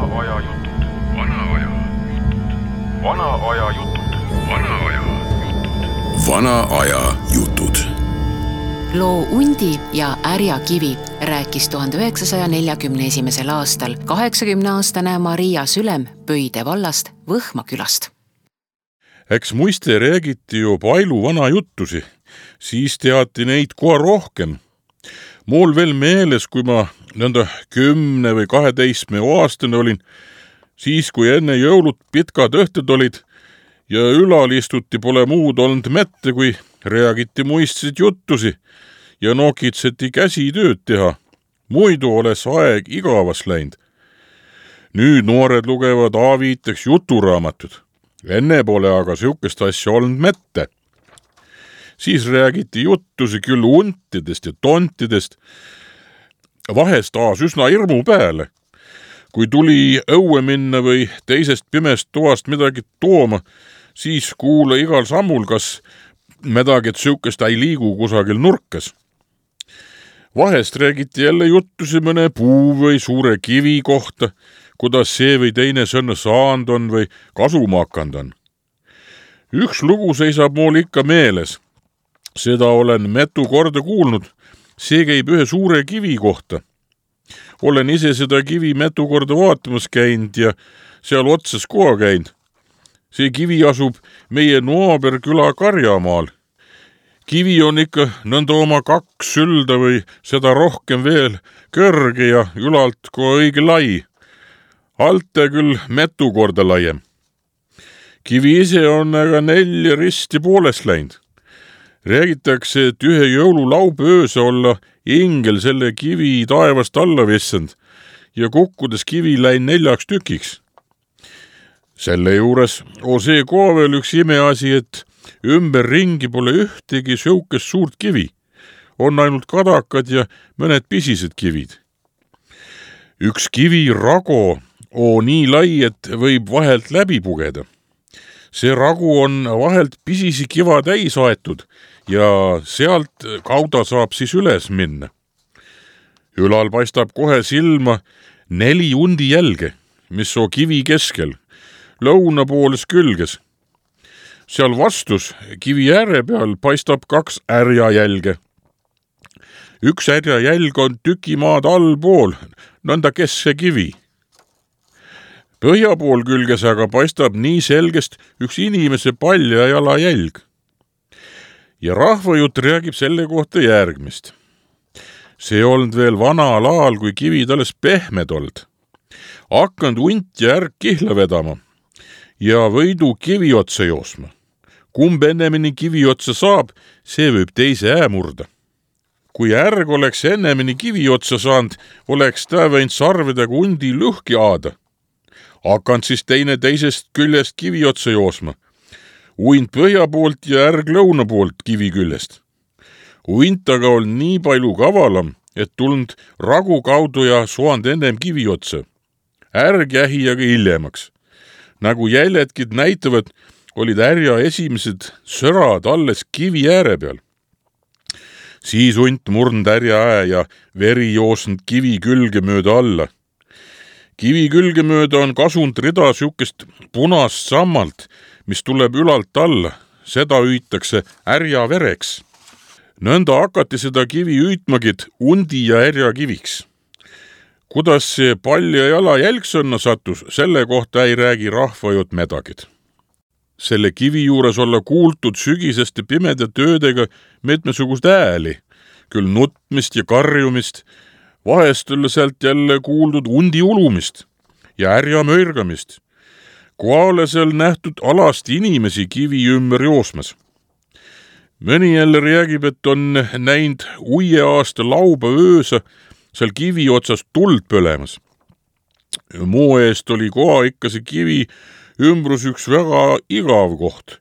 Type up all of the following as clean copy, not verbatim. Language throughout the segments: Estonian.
Vana-aja jutud. Vana-aja jutud. Vana-aja jutud. Vana-aja jutud. Vana-aja jutud. Loo Undi ja Ärjakivi rääkis 1941. aastal 80-aastane Maria Sülem Pöide vallast Võhma külast. Eks muiste räägiti ju palju vana juttusi, siis teati neid kohe rohkem. Mul veel meeles, kui ma nõnda 10 või 12 aastane olin, siis kui enne jõulut pitkad õhtud olid ja ülal istuti pole muud olnud mette, kui räägiti muistsid juttusi ja nokitseti käsitööd teha. Muidu oleks aeg igavas läinud. Nüüd noored lugevad aviiteks juturaamatud. Enne pole aga sihukest asja olnud mette. Siis räägiti juttusi küll untidest ja tontidest, vahest taas üsna hirmu peale. Kui tuli õue minna või teisest pimest toast midagi tooma, siis kuule igal sammul, kas midagi sihukest ei liigu kusagil nurkas. Vahest räägiti jälle juttusi mõne puu või suure kivi kohta, kuidas see või teine sõnne saanud on või kasuma hakanud on. Üks lugu seisab mul ikka meeles. Seda olen mitu korda kuulnud. See käib ühe suure kivi kohta. Olen ise seda kivi mitu korda vaatamas käinud ja seal otsas koha käinud. See kivi asub meie naaberküla Karjamaal. Kivi on ikka nõnda oma 2 sülda või seda rohkem veel kõrge ja ülalt kohe õige lai. Alte küll mitu korda laiem. Kivi ise on aga 4 risti poolest läinud. Räägitakse, et ühe jõululaupäööse olla ingel selle kivi taevast alla vissand ja kukkudes kivi läin 4 tükiks. Selle juures on see koha veel üks imeasi, et ümber ringi pole ühtegi sihukest suurt kivi. On ainult kadakad ja mõned pisised kivid. Üks kivi rago on nii lai, et võib vahelt läbi pugeda. See ragu on vahelt pisisi kiva täis aetud ja sealt kauda saab siis üles minna. Ülal paistab kohe silma 4 undi jälge, mis on kivi keskel, lõunapooles külges. Seal vastus kivi ääre peal paistab 2 ärjajälge. Üks ärjajälg on tükimaad allpool, nõnda kesse kivi. Põhja pool külges aga paistab nii selgest üks inimese palja jalajälg. Ja rahvajutt räägib selle kohta järgmist. See olnud veel vanal ajal, kui kivid alles pehmed olnud. Hakanud unt ja ärg kihla vedama ja võidu kivi otsa joosma. Kumb ennemini kivi otsa saab, see võib teise murda. Kui ärg oleks ennemini kivi otsa saanud, oleks ta võinud sarvedega undi lõhki aada. Hakanud siis teine teisest küljest kivi otsa joosma. Uint põhja poolt ja ärg lõuna poolt kivi küljest. Uint aga on nii palju kavalam, et tulnud ragu kaudu ja soand ennem kivi otsa. Ärg jähi aga hiljemaks. Nagu jäljedkid näitavad, olid ärja esimesed sõrad alles kivi ääre peal. Siis unt murnud ärja ja veri joosnud kivi külge mööda alla. Kivi külge mööda on kasunud rida sihukest punast sammalt, mis tuleb ülalt alla. Seda hüütakse ärja vereks. Nõnda hakati seda kivi hüütmagid undi ja ärja kiviks. Kuidas see palja jala jälgsõnna sattus, selle kohta ei räägi rahvajutt medagid. Selle kivi juures olla kuultud sügiseste pimeda töödega mitmesugust ääli, küll nutmist ja karjumist, vahest olla sealt jälle kuuldud undi ulumist ja ärja möirgamist. Kohale seal nähtud alasti inimesi kivi ümber joosmas. Mõni jälle räägib, et on näinud uie aasta laupäööse seal kivi otsas tuld põlemas. Muu eest oli koha ikka see kivi ümbrus üks väga igav koht,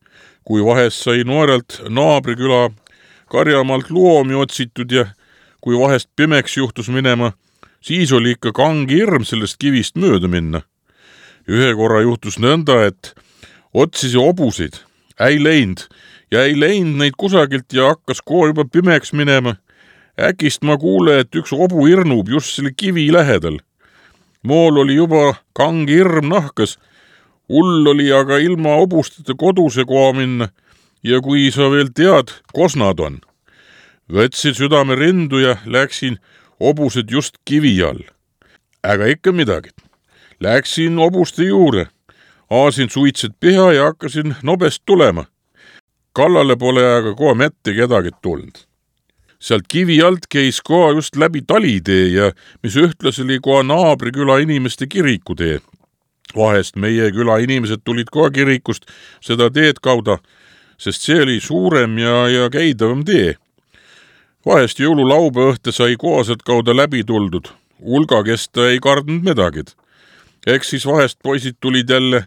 kui vahest sai noorelt naabriküla Karjamaalt loomi otsitud ja kui vahest pimeks juhtus minema, siis oli ikka kangi hirm sellest kivist mööda minna. Ühe korra juhtus nõnda, et otsisi hobuseid ei läinud neid kusagilt ja hakkas kohe juba pimeks minema. Äkist ma kuule, et üks hobu irnub just selle kivi lähedal. Mool oli juba kangi hirm nahkas. Hull oli aga ilma hobusteta koduse koha minna ja kui sa veel tead, kos nad on. Võtsin südame rindu ja läksin hobused just kivi all. Aga ikka midagi. Läksin hobuste juurde, aasin suitsed piha ja hakkasin nobest tulema. Kallale pole aga kohe mitte kedagi tulnud. Sealt kivi alt käis kohe just läbi talitee ja mis ühtlas oli kohe naabriküla inimeste kirikutee. Vahest meie küla inimesed tulid kohe kirikust seda teed kauda, sest see oli suurem ja käidavam tee. Vahest jõululaupäeva õhte sai kohaselt kauda läbi tuldud. Hulga kesta ei kardnud midagi. Eks siis vahest poisid tulid jälle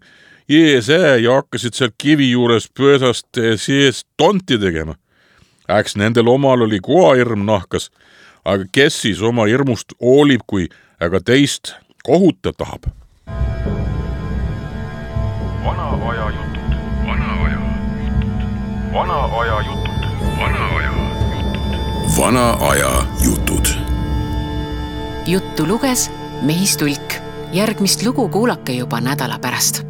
eesää ja hakkasid seal kivi juures pöösast sees tonti tegema. Äks nendel omal oli koha hirm nahkas, aga kes siis oma hirmust hoolib, kui aga teist kohuta tahab. Vana aja jutud, vana aja jutud, vana aja jutud, vana aja jutud. Vana aja jutud. Juttu luges Mehis Tulk. Järgmist lugu kuulake juba nädala pärast.